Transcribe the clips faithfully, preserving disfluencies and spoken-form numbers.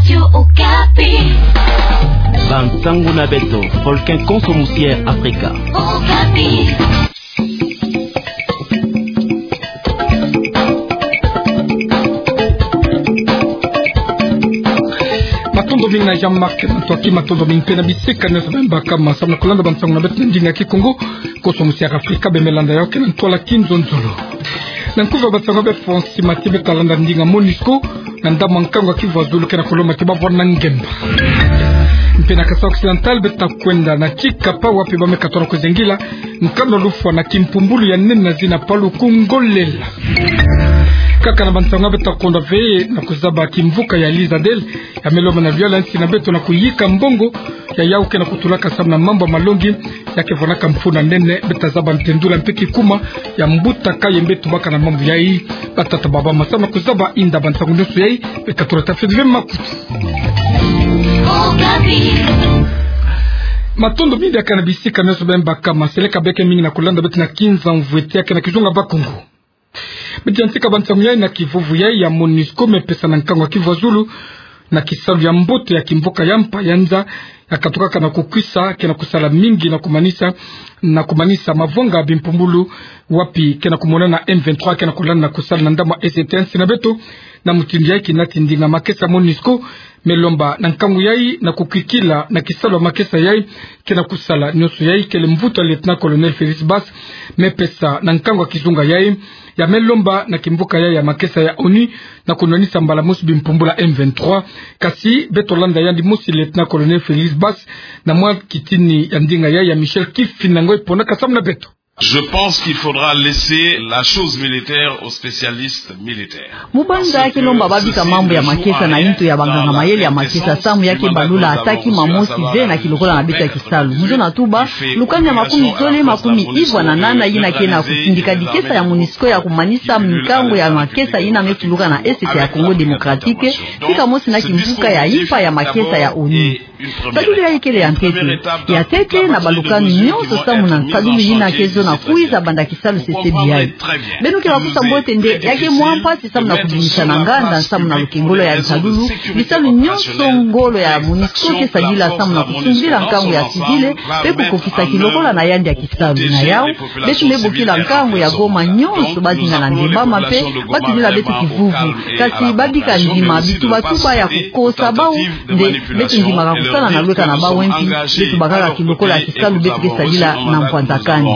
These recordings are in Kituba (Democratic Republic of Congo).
Radio Okapi. Bansangu na beto, folken konso musi ya Afrika. Okapi. Matondo mingi na Jean-Marc Matoaki, matondo mingi mpe na bisika nyonso beno baka ma samu na kulanda bansangu na beto na ndinga ya Kikongo, konso musi ya Afrika, beno me landa yawu kena ntwala kinzonzolo. Na nkufi ya bansangu ya beto, Francis Mathieu, beno ta landa ndinga MONUSCO, na ndambu ya nkangu ya Kivu ya Zulu kena kulomba ti bavwanda ngemba. Mpe na Kasaï Occidental, beno ta kwenda na Tshikapa, wapi ba me katoka na kuzengila nkanu ya lufwa na kimpumbulu ya nene na zina Paluku Ngolela. Kaka na bansangu ya beto, beno ta kwenda ve na kuzaba kimvuka ya Lizadel, ya me lomba na luyalu ya nsi na beto na kuyika mbongo ya yawu kena kutulaka samu na mambu ya malongi, ya ke vwandaka mfunu ya nene. Beno ta zaba ntendula mpe kikuma ya mbuta Kayembe tubaka na mambu yayi. Batata, bamama, samu na kuzaba inda bansangu nyonso yayi, beno katula tafidi ve makutu. Matondo mingi ya kaka na bisika nyonso beno baka ma, seleka beke mingi na kulanda beto na Kinzamvuete ya kena kizunga Bakongo. Beto yantika bansangu yayi na kivuvu yayi ya MONUSCO me pesa na nkangu ya Kivu ya Zulu, na kisalu ya mbote ya kimvuka ya mpa ya nza, ya katukaka na kukwisa, kena kusala mingi na kumanisa, na kumanisa mavanga ya bimpumbulu, wapi kena kumonana M vingt-trois, kena kulanda na kusala na ndambu ya Est ya nsi na beto. Na mutindu yayi, kina ti ndinga makesa MONUSCO me lomba na nkangu yayi na kukwikila na kisalu ya makesa yayi, kena kusala nyonso yayi, kele mvutu ya Lieutenant-colonel Félix Basse me pesa na nkangu ya kizunga yayi, ya me lomba na kimvuka yayi ya makesa ya ONU na kunwanisa mbala mosi bimpumbulu ya M vingt-trois. Kasi beto landa yandi mosi Lieutenant-colonel Félix Basse na mwa kitini ya ndinga yayi ya Michel Kifinda Ngoy, ponaka samu na beto. Je pense qu'il faudra laisser la chose militaire aux spécialistes militaires. Mu banza ke lomba babika mambu ya makesa na ntu ya banganga-mayele ya makesa, samu ya ke balula ataki mamosi ve na kilokola na beto ya kisalu. Mu zona tuba, lukani ya makumi zole makumi ivwa na nana yina ke na kutindika dikesa ya MONUSCO ya kumanisa minkangu ya makesa yina me tuluka na Est ya Congo Démocratique, tika mosi na kimvuka ya mpa ya makesa ya ONU. Nsadulu yayi kele ya ntete. Ya ntete na balukani nyonso samu na nsadulu yina ke zona kwiza banda kisalu C C B yayi. Beno ke bakusa mbote nde ya ke mwa mpasi samu na kubimisa na nganda samu na lukengolo ya nsadulu, bisalu nyonso ngolo ya MONUSCO ke sadila samu na kusungila nkangu ya civile, mpe kukokisa kilokola na yandi ya kisalu. Na yawu, beto me bokila nkangu ya Goma nyonso bazinga na ndembama mpe batudila beto kivuvu. Kasi babika ndima bitubatuba ya kukosa bawu, nde beto ndimaka kusala na lweka na bawu, mpe beto bakaka kilokola ya kisalu beto ke sadila na mpwanzakani.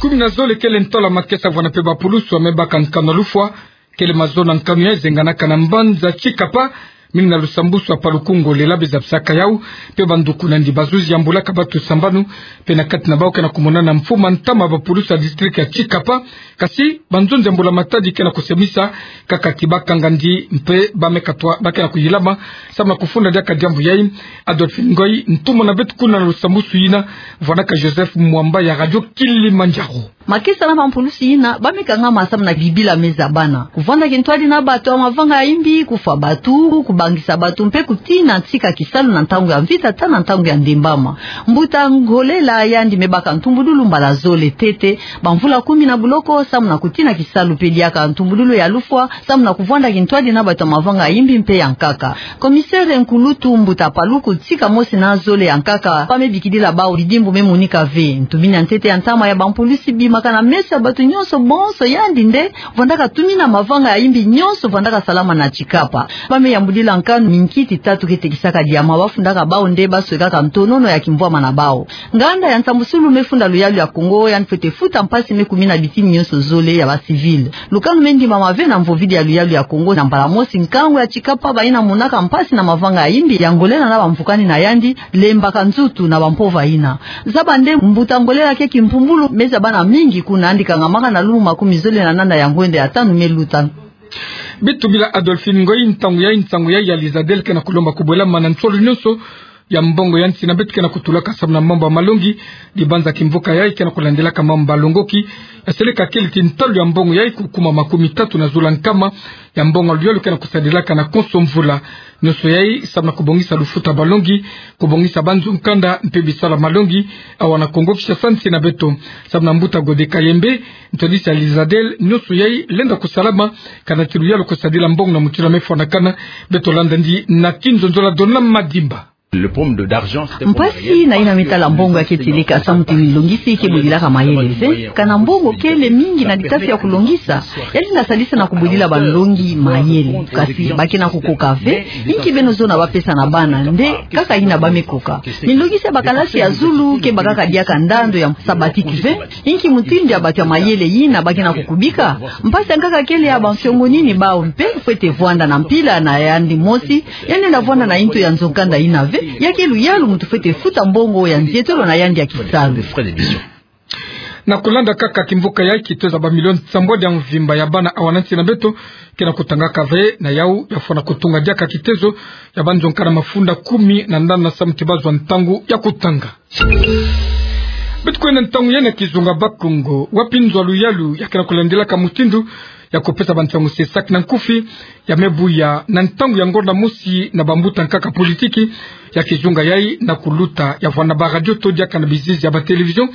Kumi na zole kele ntwala makesa vwanda mpe bapulusu ya me baka nkanu ya lufwa, kele mazono ya nkanu yayi zenganaka na mbanza Tshikapa, mingi na lusambusu ya Paluku Ngolela, be zabisaka yawu, mpe banduku na yandi bazuzi ya mbula ka batu sambanu, mpe na kati na bawu kena kumonana mfumu ya ntama bapulusu ya district ya Tshikapa. Kasi banzonzi ya mbula matadi kena kusemisa, kaka ti bakanga yandi mpe ba me katwa ba kena kuyilama samu na kufunda diaka diambu yayi. Adolphine Ngoy, ntumwa na beto kuna na lusambusu yina, vwandaka Joseph Mwamba ya Radio Kilimanjaro. Makesa na bampulusi yina ba me kangama samu na bibila me zabana. Kuvwanda kintwadi na bato ya mavanga ya imbi, kufwa bato, kubangisa bato, mpe kutina ntika kisalu na ntangu ya mvita ata na ntangu ya ndembama. Mbuta Ngolela yandi me baka ntumbudulu mbala zole ntete, bamvula kumi na buloko, samu na kutina kisalu mpe diaka ntumbudulu ya lufwa, samu na kuvwanda kintwadi na bato ya mavanga ya imbi mpe ya nkaka. Commissaire nkulutu mbuta Paluku tika mosi na zole ya nkaka, ba me bikidila bawu bidimbu me monika ve. Ntumini ya ntete ya ntama ya bampulusi bimaka na meso ya bato nyonso bonso, yandi nde vwandaka tumina mavanga ya imbi nyonso vwandaka salama na Tshikapa. Ba me yambudila nkanu minkiti tatu ke tekisaka diama, ba fundaka bawu nde ba swekaka ntonono ya kimvwama na bawu. Nganda ya nsambusulu me funda luyalu ya Kongo, yandi fwete futa mpasi me kumina bitini nyonso zole ya ba civil. Lukanu me ndimama ve na mvovidi ya luyalu ya Kongo, na mbala mosi nkangu ya Tshikapa ba yina monaka mpasi na mavanga ya imbi ya Ngolela na bamvukani na yandi, lembaka nzutu na bampova yina. Zaba nde mbuta Ngolela ke kimpumbulu me zabana mingi kuna, yandi kangamaka na lumbu makumi zole na nana ya ngwende ya tanu me luta. Bitubila Adolphine Ngoy, ntangu yayi, nsangu yayi ya Lizadel kena kulomba kubwelama na nsolo nyonso ya mbongo ya nsi na beto ke na kutulaka samu na mambu ya malongi. Dibanza kimvuka yai ke na kulandilaka mambu ya malongi. Eseleka kele ti ntalu ya mbongo yai kukuma makumi tatu na zola nkama ya mbongo ya luyalu ke na kusadilaka na konso mvula. Nyonso yai samu na kubongisa lufuta ya malongi, kubongisa banzo nkanda mpe bisalu ya malongi awa na Kongo Kinshasa, nsi na beto. Samu na mbuta Gode Kayembe, ntwadisi ya Lizadel, nyonso yai lenda kusalama kana ti luyalu kusadila mbongo na mutindu ya mefwanakana. Beto landa ndi na kinzonzola Dona Madimba. Mpasi na yina mi tala mbongo ya ke tieleka samu ti nilongisi ke bwedilaka mayele ve. Kana mbongo kele mingi na litasi ya kulongisa, yandi na sadisa na kubwedila balongi mayele. Kasi ba ke na kukoka ve. Inki beno zona ba pesa na bana nde kaka yina ba me koka? Nilongisi ya bakalasi ya zulu ke bakaka diaka ndando ya sabatiki ve. Inki mutindu ya bato ya mayele yina ba ke na kukubika? Mpasi ya nkaka kele ya bansiongo nini bau mpe fwete vwanda na mpila na yandi mosi, yandi na vwanda na nto ya nzo-nkanda yina ve. Ya ke luyalu muntu fwete futa mbongo ya nzietolo na yandi ya kisalu. Na kulanda kaka kimvuka yai, kitezo ya bamilioni nsambwadi ya mvimba ya bana awa na nsi na beto ke na kutangaka ve, na yau ya fwana kutunga diaka kitezo ya banzo-nkanda mafunda kumi na nana samu ti bazwa ntangu ya kutanga. Beto kwenda ntangu yai na kizunga Bas-Congo, wapi nzo ya luyalu ya ke na kulandilaka mutindu ya kupesa bansangu CESAC na nkufi, ya me buya na ntangu ya ngonda mosi na bambuta nkaka politiki ya kizunga yai na kuluta ya vwanda baradio to diaka na bizizi ya batelevision,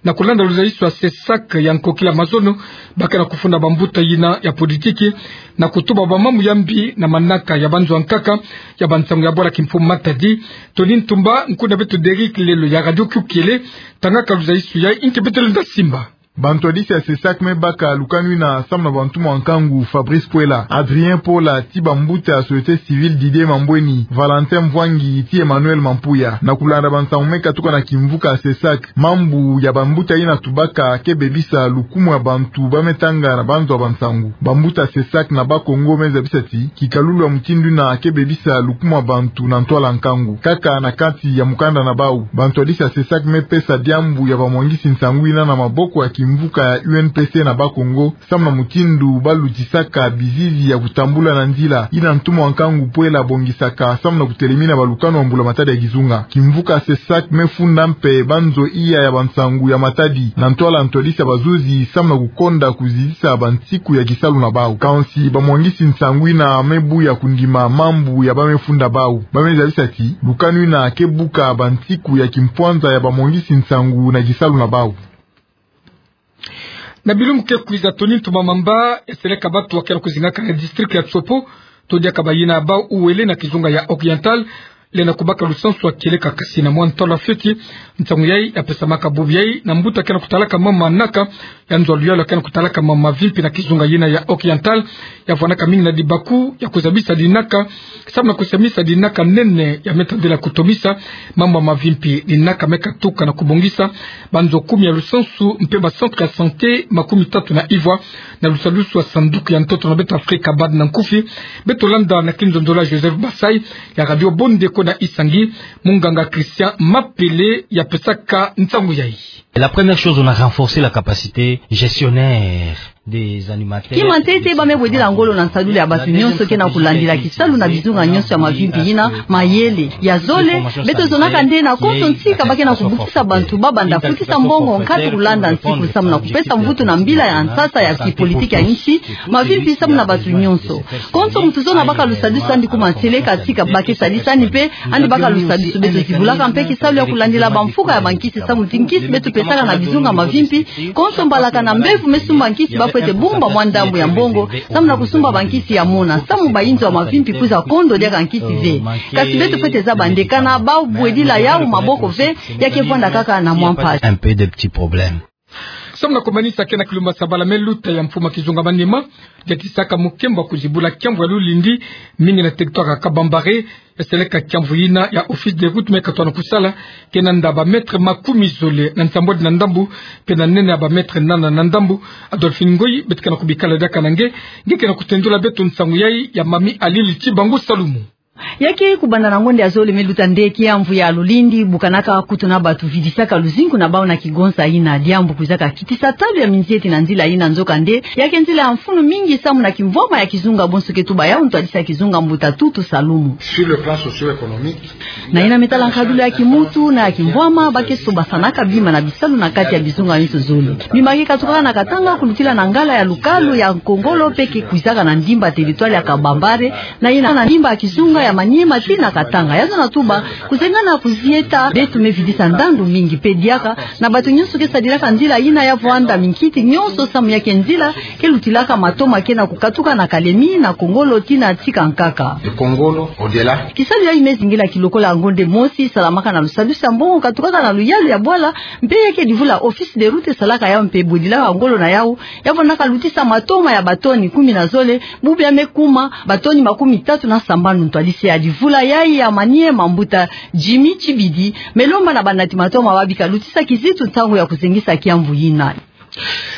na kulanda luzaiso ya CESAC ya nkokila mazono. Ba ke na kufunda bambuta yina ya politiki na kutuba bamambu ya mbi na manaka ya banzo ya nkaka ya bansangu ya bwala kimfumu Matadi. Tony Ntumba, nkuna beto Derrick Lelo ya Radio Kiokele, tangaka luzaiso yai. Inki beto lenda simba? Bantwadisi ya CESAC me baka lukanu yina samu na bantumwa nkangu Fabrice Puela, Adrien Pola ti bambuta ya société civile, Didier Mambweni, Valentin Mvwangi ti Emmanuel Mampuya. Na kulanda bansangu me katuka na kimvuka ya CESAC, mambu ya bambuta yina tubaka ke bebisa lukumu ya bantu ba me tanga na banzo ya bansangu. Bambuta CESAC na Bas-Congo me zabisa ti kikalulu ya mutindu yina ke bebisa lukumu ya bantu na ntwala nkangu. Kaka na kati ya mukanda na bau, bantwadisi ya CESAC me pesa diambu ya bamwangisi nsangu yina na maboko ya kimvuka ya U N P C na Bas-Congo, samu na mutindu ba lutisaka bizizi ya kutambula na nzila yina ntumwa nkangu Puela abongisaka samu na kutelemina balukanu ya mbula-matadi ya kizunga. Kimvuka CESAC me funda mpe banzo iya ya bansangu ya Matadi na ntwala ntwadisi ya bazuzi samu na kukonda kuzizisa bansiku ya kisalu na bau. Kansi bamwangisi nsangu yina me buya kundima mambu ya ba me funda bau. Ba me zabisa ti lukanu yina ke buka bansiku ya kimpwanza ya bamwangisi nsangu na kisalu na bau. Na bilumbu ke kwiza, Tony Ntumba Mamba, eseleka batu wa ke na kuzingaka na district ya Tshopo, to diaka bayina bau uwele na kizunga ya Oriental, lenda kubaka lusansu ya kieleka kasi na mwa ntwala fioti. Nsangu yai ya pesamaka bubu yai na mbuta ke na kutalaka mama naka ya nzo ya luyalu ke na kutalaka mama mavimpi na kizunga yina ya Oriental, ya vwanaka mingi na dibaku ya kuzabisa dinaka, samu na kusamisa dinaka nene ya me tadila kutomisa mambu ya mavimpi. Dinaka me katuka na kubongisa banzo kumi ya lusansu mpe ba centre ya santé makumi tatu na ivwa, na lusadusu ya sanduku ya ntoto na beto Afrika, BAD na nkufi. Beto landa na kinzonzola Joseph Basai ya Radio Bondeko na Isangi, munganga Christian Mapele ya pesaka nsangu yai. La première chose, on a renforcé la capacité gestionnaire des animateurs. Kima ntete ba me bwedila ngolo na nsadulu ya batu nyonso ke na kulandila kisalu na bizunga nyonso ya mavimpi yina, mayele. Ya zole, beto zonaka nde na konso ntika ba ke na kubukisa bantu ba banda futisa mbongo nkatu kulanda nsiku samu na kupesa mvutu na mbila ya nsasa ya kipolitiki ya nsi, mavimpi samu na batu nyonso. Konso muntu zona baka lusadusu andi kuma nseleka tika ba ke sadisa ni mpe andi baka lusadusu. Beto zibulaka mpe kisalu ya kulandila bamfuka ya bankisi samu ti nkisi beto pesaka na bizunga mavimpi, konso mbalaka na mbevo me sumba nkisi ba fwete bumba mwa ndambu ya mbongo samu na kusumba bankisi ya mona, samu bayinzo ya mavimpi kwiza kondo diaka nkisi ve. Kasi beto fwete zaba nde kana bau bwedila yau maboko ve, ya ke vwanda kaka na mwa mpasi. Un peu de petits problèmes. Samu na kumanisa, ke na kilumbu ya sabala me luta ya mfumu ya kizunga Maniema, diatisaka mukembo wa kuzibula kiamvu ya lulindi, mingi na territoire ya Kabambare. Eseleka kiamvu yina ya Office des routes me katoa na kusala, ke na nda ba mètres makumi zole na nsambwadi na ndambu, mpe na nene ya ba mètres nana na ndambu. Adolphine Ngoyi, beto ke na kubikala diaka na nge, nge ke na kutendula beto nsangu yai ya Mami Alili Tibangu Salumu. Ya ke kubanda na ngonde ya zole me luta nde kiamvu ya lulindi, bukanaka kutu na batu vidisaka luzingu na bau na kigonsa ina, diambu kwizaka kitisa talu ya minzieti na nzila ina. Nzokande, ya ke nzila ya mfunu mingi samu na kimvwama ya kizunga bonso ke tuba yau ntwadisi ya kizunga mbuta Tutu Salumu. Sur le plan socio-économique, na ina me tala nkadulu ya kimuntu na ya kimvwama, ba ke sobasanaka bima na bisalu na kati ya bizunga nyonso zole. Bima ke katukaka na Katanga kulutila na ngala ya lukalu ya Nkongolo mpe ke kwizaka na ndimba territoire ya Kabambare, na ina na ndimba ya kizunga ya Maniema tii na Katanga. Yazo na tuba, kuzengana kuzieta beto me vidisa ndandu mingi mpe diaka na bato nyonso ke sadilaka nzila ina ya vwanda minkiti nyonso samu ya ke nzila ke lutilaka matoma ke na kukatuka na Kalemi, na Nkongolo tii na Tika Nkaka. De Nkongolo au-delà. Kisalu yayi me zingila kilokola ngonde mosi salamaka na lusadusi ya mbongo katukaka na luyalu ya bwala, mpe ya ke divula Office des Routes esalaka yau mpe bwedilaka ngolo na yau, ya vwandaka lutisa matoma ya batoni kumi na zole, bubu ya me kuma batoni makumi tatu na sambanu. Ntwadisi ya divula yayi ya Maniema, mbuta Jimmy Tshibidi, me lomba na banati matoma ba bika lutisa kizitu ntangu ya kuzengisa kiamvu ina.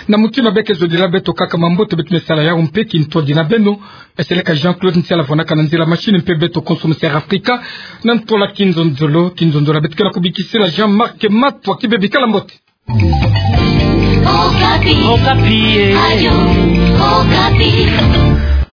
Na muti mabe ke zodila beto kaka mambote beto me sala yau mpe kintwadi na beno. Eseleka Jean-Claude Ntiala vwandaka na nzila machine mpe beto konso mu Sera Afrika. Na ntola kinzonzolo, kinzonzolo beto ke na kubikisila Jean-Marc Matwa ki bebi, kala mbote. Okapi. Okapi, eh. Radio Okapi.